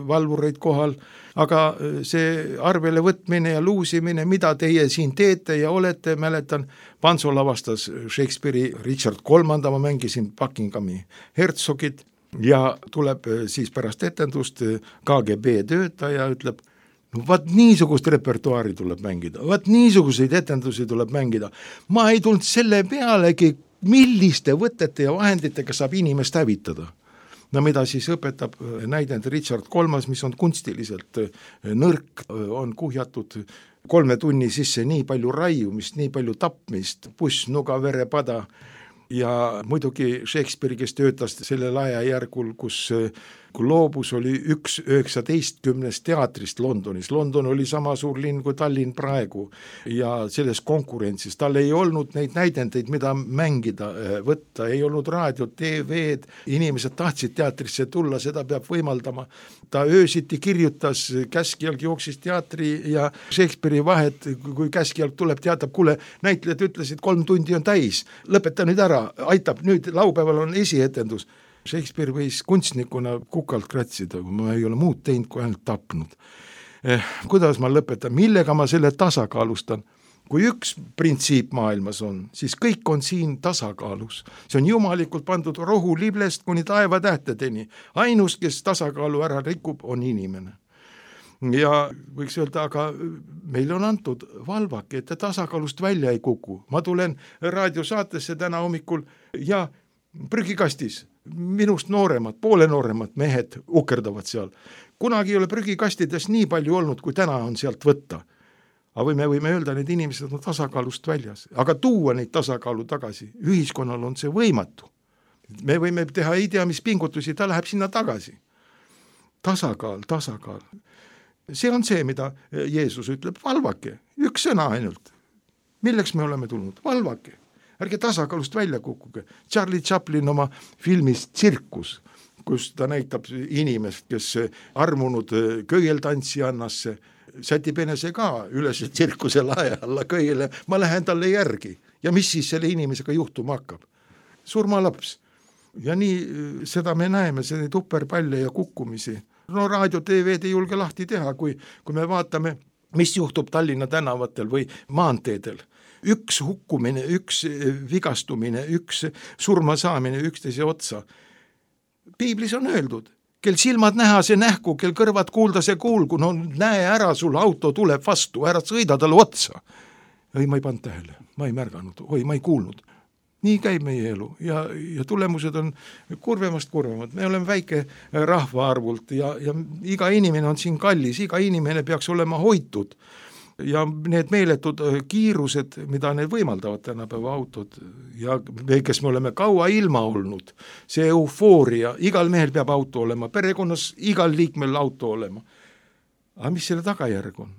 valvureid kohal, aga see arvele võtmine ja luusimine, mida teie siin teete ja olete, mäletan, Panso lavastas Shakespeare'i Richard III, ma mängisin Buckinghami hertsogit, ja tuleb siis pärast etendust KGB töötaja ütleb, no vaat niisugust repertuaari tuleb mängida, vaat niisuguseid etendusi tuleb mängida. Ma ei tulnud selle pealegi, milliste võtete ja vahenditega saab inimest hävitada. No mida siis õpetab näidend Richard III, mis on kunstiliselt nõrk, on kuhjatud 3 tunni sisse nii palju raiumist, nii palju tapmist, puss, nuga, verepada. Ja muidugi Shakespeare, kes töötas sellel ajajärgul, kus loobus oli 19 teatrist Londonis. London oli sama suur linn kui Tallinn praegu ja selles konkurentsis. Tal ei olnud neid näidendeid, mida mängida, võtta, ei olnud raadiot, TV-d, inimesed tahtsid teatrisse tulla, seda peab võimaldama. Ta öösiti kirjutas, Käskjalg jooksis teatri ja Shakespeare'i vahet, kui Käskjalg tuleb, teatab, kuule, näitlejad ütlesid 3 tundi on täis, lõpeta nüüd ära, aitab, nüüd laupäeval on esietendus. Shakespeare võis kunstnikuna kukalt kratsida, ma ei ole muud teinud, kui ainult tapnud. Kuidas ma lõpetan, millega ma selle tasakaalustan? Kui üks printsiip maailmas on, siis kõik on siin tasakaalus. See on jumalikult pandud rohuliblest kuni taevatähtedeni. Ainus, kes tasakaalu ära rikub, on inimene. Ja võiks öelda, aga meil on antud valvake, et tasakaalust välja ei kuku. Ma tulen raadiosaatesse täna hommikul ja prügikastis minust nooremad, poole nooremad mehed ukerdavad seal. Kunagi ei ole prügikastides nii palju olnud, kui täna on sealt võtta. Aga me võime öelda, need inimesed on tasakaalust väljas. Aga tuua neid tasakaalu tagasi, ühiskonnal on see võimatu. Me võime teha ei tea, mis pingutusi, ta läheb sinna tagasi. Tasakaal. See on see, mida Jeesus ütleb, valvake, üks sõna ainult. Milleks me oleme tulnud? Valvake. Ärge tasakaalust välja kukkuge. Charlie Chaplin oma filmis Tsirkus, kus ta näitab inimest, kes armunud köieltantsijannasse, sätib enese ka üles tsirkuse lae alla köiele, ma lähen talle järgi. Ja mis siis selle inimesega juhtuma hakkab? Surmalaps. Ja nii seda me näeme, see tupperpalle ja kukkumisi. No raadio, TV-d ei julge lahti teha, kui me vaatame, mis juhtub Tallinna tänavatel või maanteedel. Üks hukkumine, üks vigastumine, üks surma saamine üksteise otsa. Piiblis on öeldud, kel silmad näha see nähku, kel kõrvad kuulda see kuulgu, no näe ära, sul auto tuleb vastu, ära sõida talle otsa. Ei, ma ei pannud tähele, ma ei märganud, ma ei kuulnud. Nii käib meie elu ja tulemused on kurvemast. Me oleme väike rahvaarvult ja iga inimene on siin kallis, iga inimene peaks olema hoitud. Ja need meeletud kiirused, mida need võimaldavad tänapäeva autod ja me, kes me oleme kaua ilma olnud, see eufooria, igal mehel peab auto olema, perekonnas igal liikmel auto olema. Aga mis selle tagajärg on?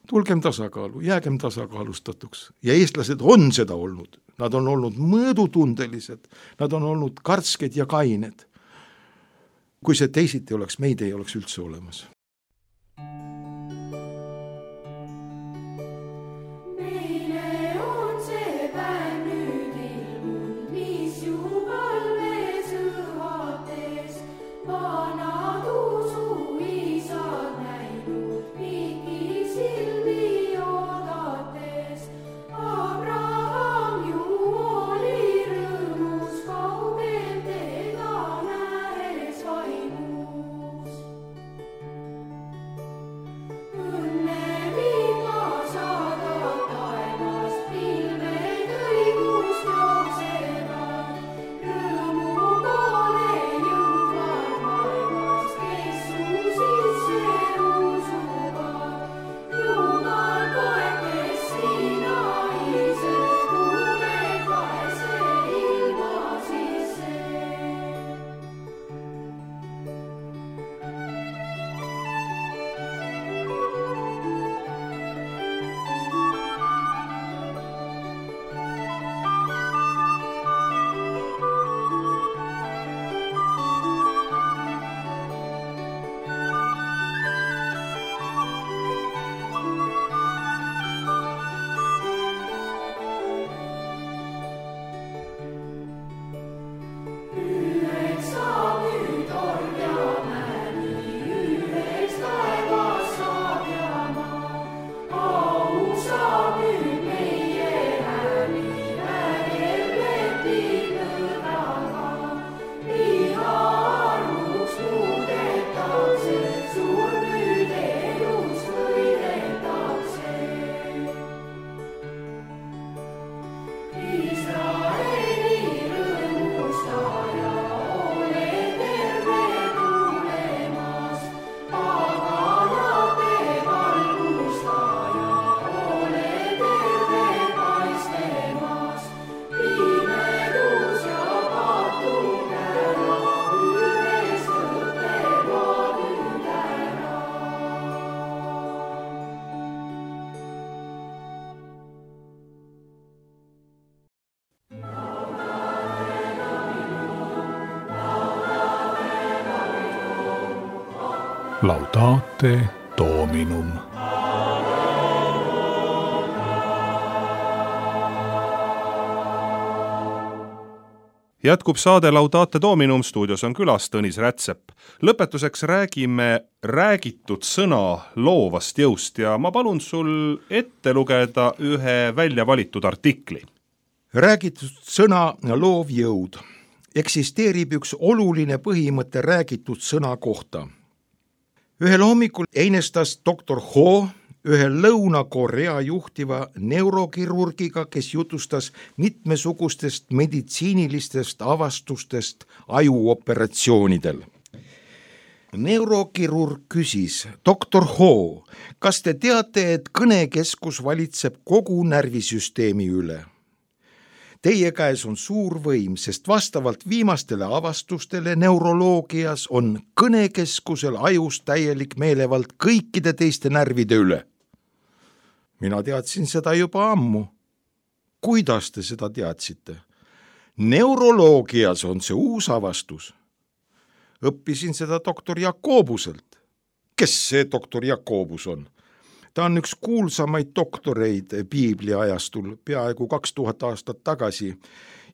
Tulgem tasakaalu, jäägem tasakaalustatuks. Ja eestlased on seda olnud. Nad on olnud mõõdutundelised, nad on olnud karsked ja kained. Kui see teisiti oleks, meid ei oleks üldse olemas. Laudate Dominum. Jätkub saade Laudate Dominum, stuudios on külas Tõnis Rätsep. Lõpetuseks räägime räägitud sõna loovast jõust ja ma palun sul ette lugeda ühe välja valitud artikli. Räägitud sõna loov jõud. Eksisteerib üks oluline põhimõte räägitud sõna kohta. Ühel hommikul einestas doktor Ho ühe Lõuna-Korea juhtiva neurokirurgiga, kes jutustas mitmesugustest meditsiinilistest avastustest ajuoperatsioonidel. Neurokirurg küsis, doktor Ho, kas te teate, et kõnekeskus valitseb kogu närvisüsteemi üle? Teie käes on suur võim, sest vastavalt viimastele avastustele neuroloogias on kõnekeskusel ajus täielik meelevald kõikide teiste närvide üle. Mina teadsin seda juba ammu. Kuidas te seda teadsite? Neuroloogias on see uus avastus. Õppisin seda doktor Jakobuselt. Kes see doktor Jakobus on? Ta on üks kuulsamaid doktoreid Piiblia ajastul peaaegu 2000 aastat tagasi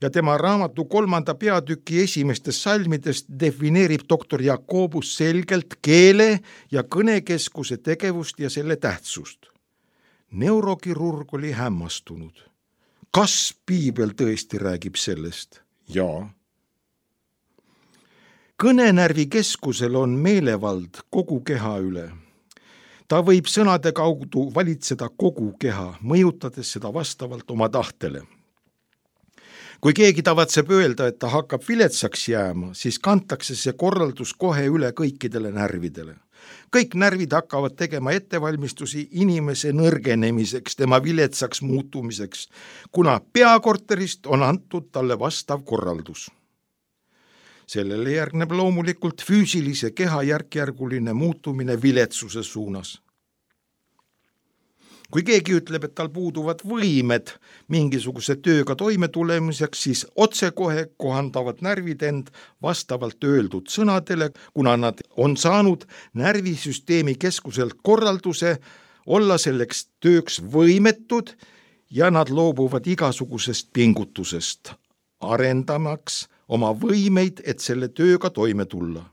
ja tema raamatu 3. peatüki esimestest salmidest defineerib doktor Jakobus selgelt keele ja kõnekeskuse tegevust ja selle tähtsust. Neurokirurg oli hämmastunud. Kas Piibel tõesti räägib sellest? Jaa. Kõnenärvi keskusel on meelevald kogu keha üle. Ta võib sõnade kaudu valitseda kogu keha, mõjutades seda vastavalt oma tahtele. Kui keegi tavatseb öelda, et ta hakkab viletsaks jääma, siis kantakse see korraldus kohe üle kõikidele närvidele. Kõik närvid hakkavad tegema ettevalmistusi inimese nõrgenemiseks, tema viletsaks muutumiseks, kuna peakorterist on antud talle vastav korraldus. Sellele järgneb loomulikult füüsilise keha järkjärguline muutumine viletsuse suunas. Kui keegi ütleb, et tal puuduvad võimed mingisuguse tööga toime tulemiseks, siis otsekohe kohandavad närvid end vastavalt öeldud sõnadele, kuna nad on saanud närvisüsteemi keskuselt korralduse olla selleks tööks võimetud ja nad loobuvad igasugusest pingutusest, arendamaks oma võimeid, et selle tööga toime tulla.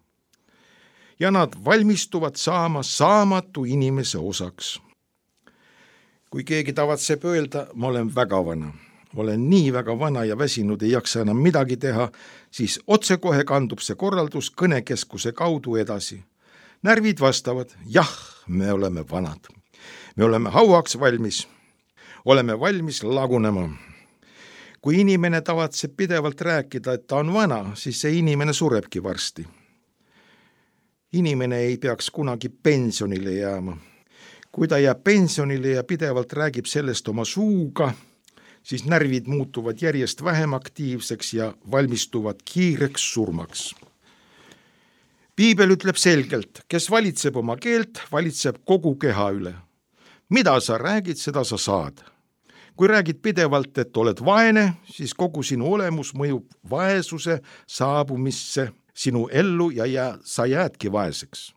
Ja nad valmistuvad saama saamatu inimese osaks. Kui keegi tavatseb öelda, ma olen väga vana, ma olen nii väga vana ja väsinud, ei jaksa enam midagi teha, siis otsekohe kandub see korraldus kõnekeskuse kaudu edasi. Närvid vastavad, jah, me oleme vanad. Me oleme hauaks valmis, oleme valmis lagunema. Kui inimene tavatseb pidevalt rääkida, et ta on vana, siis see inimene surebki varsti. Inimene ei peaks kunagi pensionile jääma. Kui ta jääb pensionile ja pidevalt räägib sellest oma suuga, siis närvid muutuvad järjest vähem aktiivseks ja valmistuvad kiireks surmaks. Piibel ütleb selgelt, kes valitseb oma keelt, valitseb kogu keha üle. Mida sa räägid, seda sa saad. Kui räägid pidevalt, et oled vaene, siis kogu sinu olemus mõjub vaesuse saabumisse sinu ellu ja sa jäädki vaeseks.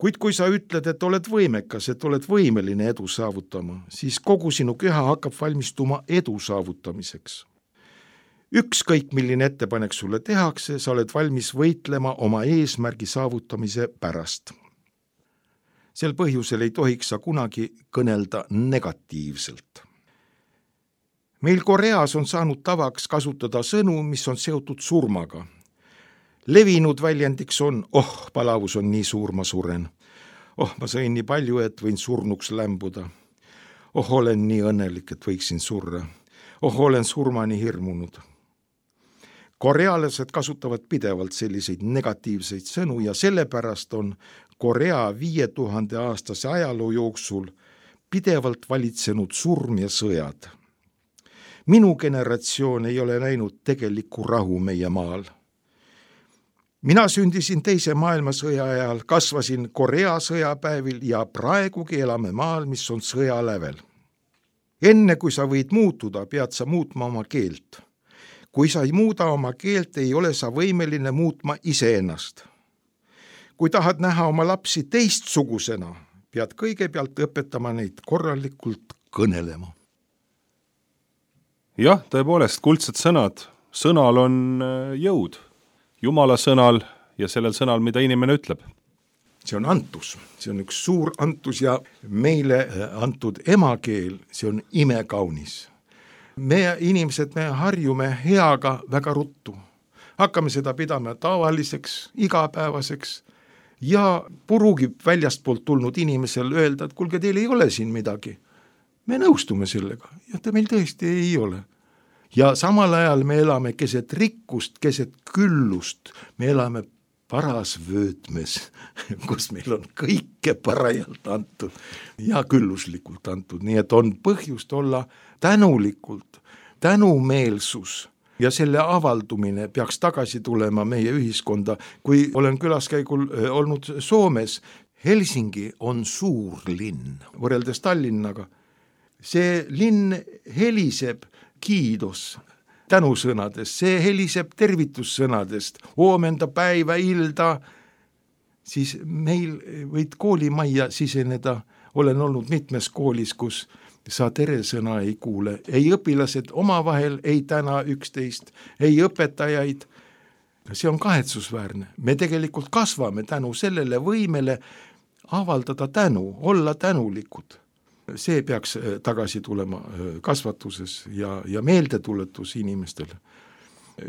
Kuid kui sa ütled, et oled võimekas, et oled võimeline edu saavutama, siis kogu sinu keha hakkab valmistuma edu saavutamiseks. Ükskõik milline ettepanek sulle tehakse, sa oled valmis võitlema oma eesmärgi saavutamise pärast. Sel põhjusel ei tohiks sa kunagi kõnelda negatiivselt. Meil Koreas on saanud tavaks kasutada sõnu, mis on seotud surmaga. Levinud väljendiks on, palavus on nii suur, ma suren. Ma sõin nii palju, et võin surnuks lämbuda. Olen nii õnnelik, et võiksin surra. Olen surmani hirmunud. Korealased kasutavad pidevalt selliseid negatiivseid sõnu ja sellepärast on Korea 5000 aastase ajaloo jooksul pidevalt valitsenud surm ja sõjad. Minu generatsioon ei ole näinud tegelikku rahu meie maal. Mina sündisin teise maailmasõja ajal, kasvasin Korea sõjapäevil ja praegugi elame maal, mis on sõjalävel. Enne kui sa võid muutuda, pead sa muutma oma keelt. Kui sa ei muuda oma keelt, ei ole sa võimeline muutma iseennast. Kui tahad näha oma lapsi teistsugusena, pead kõigepealt õpetama neid korralikult kõnelema. Jah, tõepoolest, kuldsed sõnad sõnal on jõud, Jumala sõnal ja sellel sõnal, mida inimene ütleb. See on antus, see on üks suur antus ja meile antud emakeel, see on imekaunis. Me inimesed, me harjume heaga väga ruttu. Hakkame seda pidama tavaliseks, igapäevaseks ja purugib väljastpoolt tulnud inimesel öelda, et kuulge, teil ei ole siin midagi. Me nõustume sellega ja ta meil tõesti ei ole. Ja samal ajal me elame keset rikkust, keset küllust, me elame paras vöötmes, kus meil on kõike parajalt antud ja külluslikult antud, nii et on põhjust olla tänulikult, tänumeelsus ja selle avaldumine peaks tagasi tulema meie ühiskonda. Kui olen külaskäigul olnud Soomes, Helsingi on suur linn võrreldes Tallinnaga. See linn heliseb kiidos tänusõnadest, see heliseb tervitussõnadest, oomenda päiva ilda, siis meil võid koolimajja siseneda, olen olnud mitmes koolis, kus sa teresõna ei kuule, ei õpilased omavahel ei täna üksteist, ei õpetajaid, see on kahetsusväärne. Me tegelikult kasvame tänu sellele võimele avaldada tänu, olla tänulikud. See peaks tagasi tulema kasvatuses ja meeldetuletus inimestele.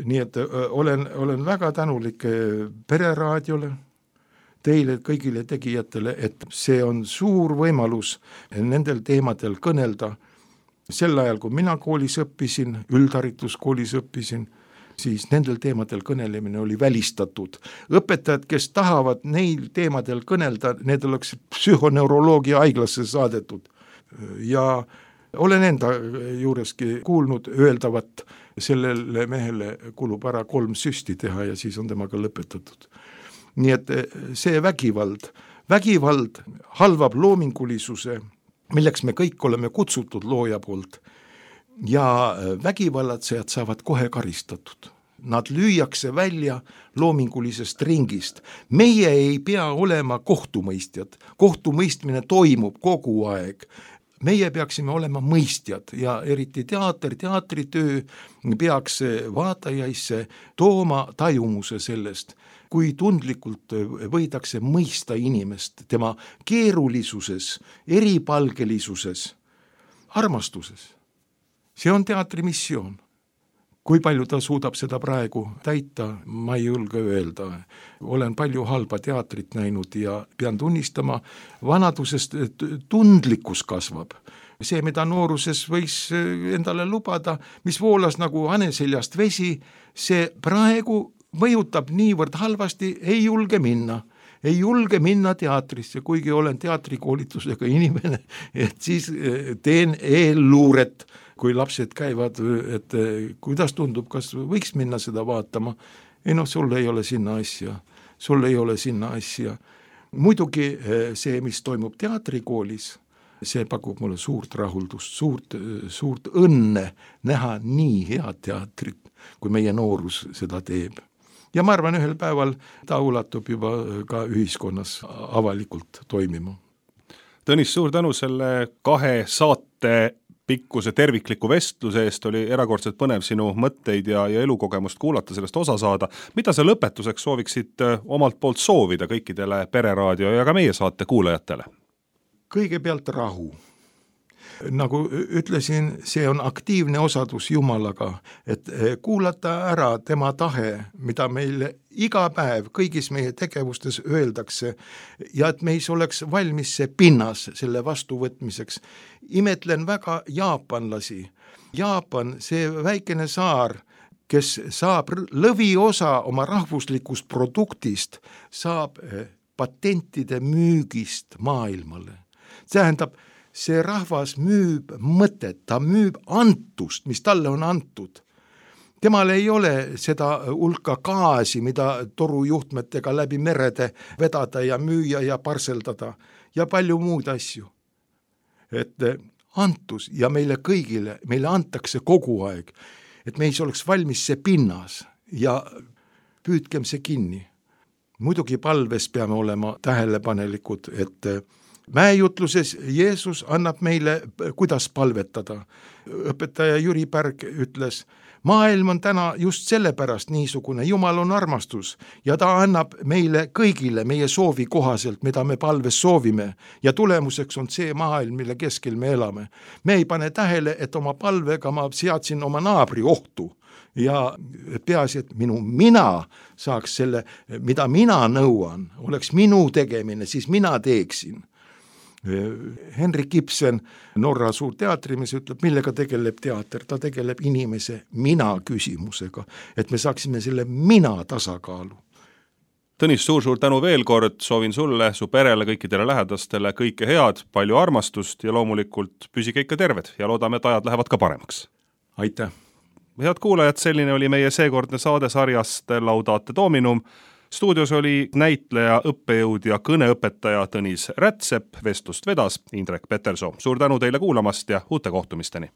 Nii et olen väga tänulik Pereraadiole, teile kõigile tegijatele, et see on suur võimalus nendel teemadel kõnelda. Sel ajal, kui mina koolis õppisin, üldharituskoolis õppisin, siis nendel teemadel kõnelemine oli välistatud. Õpetajad, kes tahavad neil teemadel kõnelda, need oleks psühhoneuroloogia haiglasse saadetud. Ja olen enda juureski kuulnud öeldavat, sellele mehele kulub ära 3 süsti teha ja siis on temaga lõpetatud. Nii et see vägivald halvab loomingulisuse, milleks me kõik oleme kutsutud looja poolt ja vägivallatsejad saavad kohe karistatud. Nad lüüakse välja loomingulisest ringist. Meie ei pea olema kohtumõistjad. Kohtumõistmine toimub kogu aeg. Meie peaksime olema mõistjad ja eriti teatritöö peaks vaatajaisse tooma tajumuse sellest, kui tundlikult võidakse mõista inimest tema keerulisuses, eripalgelisuses, armastuses. See on teatri missioon. Kui palju ta suudab seda praegu täita, ma ei julge öelda. Olen palju halba teatrit näinud ja pean tunnistama, vanadusest tundlikkus kasvab. See, mida nooruses võis endale lubada, mis voolas nagu haneseljast vesi, see praegu mõjutab niivõrd halvasti, ei julge minna teatrisse, kuigi olen teatrikoolitusega inimene, et siis teen eelluuret, kui lapsed käivad, et kuidas tundub, kas võiks minna seda vaatama. Ei sul ei ole sinna asja. Muidugi see, mis toimub teatrikoolis, see pakub mulle suurt rahuldust, suurt õnne näha nii head teatrit, kui meie noorus seda teeb. Ja ma arvan, ühel päeval ta ulatub juba ka ühiskonnas avalikult toimima. Tõnis, suur tänu selle 2 saate pikkuse tervikliku vestluse eest, oli erakordselt põnev sinu mõtteid ja elukogemust kuulata, sellest osa saada. Mida sa lõpetuseks sooviksid omalt poolt soovida kõikidele Pereraadio ja ka meie saate kuulajatele? Kõigepealt rahu. Nagu ütlesin, see on aktiivne osadus Jumalaga, et kuulata ära tema tahe, mida meile iga päev kõigis meie tegevustes öeldakse ja et meis oleks valmis see pinnas selle vastuvõtmiseks. Imetlen väga jaapanlasi. Jaapan, see väikene saar, kes saab lõviosa oma rahvuslikust produktist, saab patentide müügist maailmale. Tähendab, see rahvas müüb mõtet, ta müüb antust, mis talle on antud. Temal ei ole seda hulka gaasi, mida torujuhtmetega läbi merede vedada ja müüa ja parseldada ja palju muud asju. Et antus ja meile kõigile, meile antakse kogu aeg, et meis oleks valmis see pinnas ja püüdkem see kinni. Muidugi palves peame olema tähelepanelikud, et mäejutluses Jeesus annab meile, kuidas palvetada. Õpetaja Jüri Pärg ütles, maailm on täna just sellepärast niisugune, Jumal on armastus ja ta annab meile kõigile meie soovi kohaselt, mida me palves soovime ja tulemuseks on see maailm, mille keskel me elame. Me ei pane tähele, et oma palvega ma seadsin oma naabri ohtu ja peaasi, et mina saaks selle, mida mina nõuan, oleks minu tegemine, siis mina teeksin. Henrik Ibsen, Norra suur teatrimees, ütleb, millega tegeleb teater, ta tegeleb inimese mina küsimusega, et me saaksime selle mina tasakaalu. Tõnis, suur tänu veel kord, soovin sulle, su perele, kõikidele lähedastele kõike head, palju armastust ja loomulikult püsige ikka terved ja loodame, et ajad lähevad ka paremaks. Aitäh! Head kuulajad, selline oli meie seekordne saade sarjast Laudate Dominum. Stuudios oli näitleja, õppejõud ja kõneõpetaja Tõnis Rätsep, vestlust vedas Indrek Petersoo. Suur tänu teile kuulamast ja uute kohtumisteni!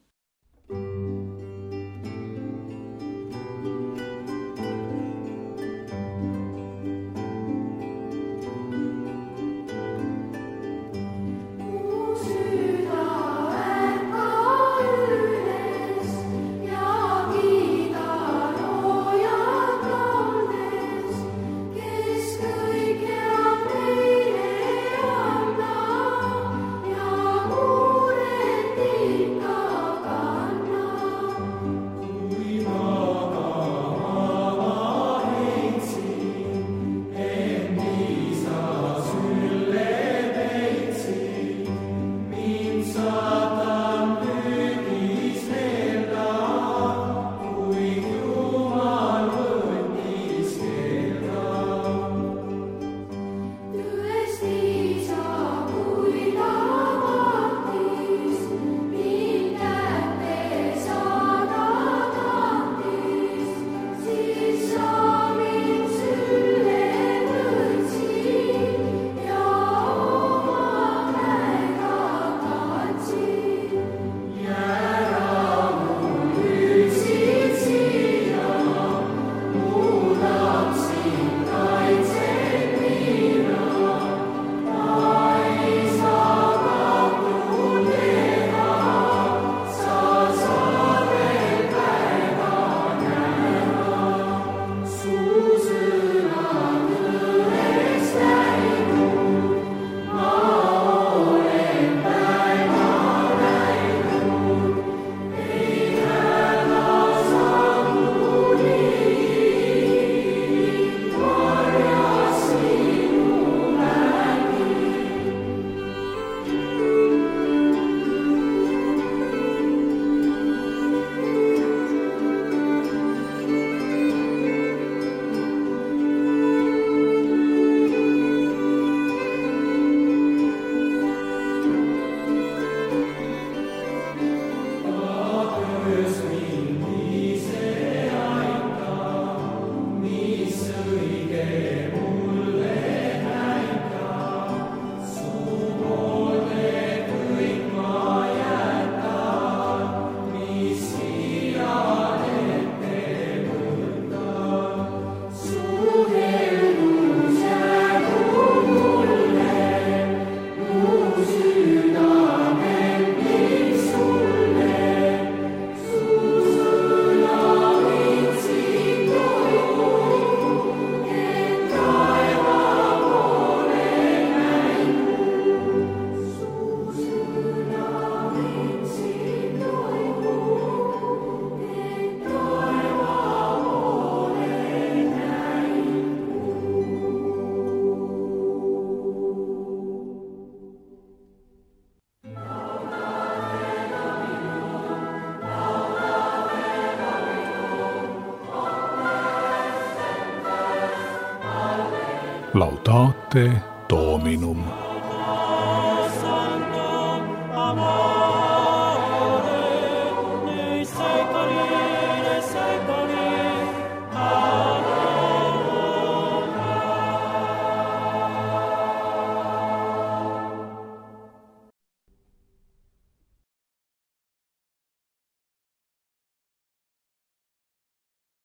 Laudate Dominum. Amor.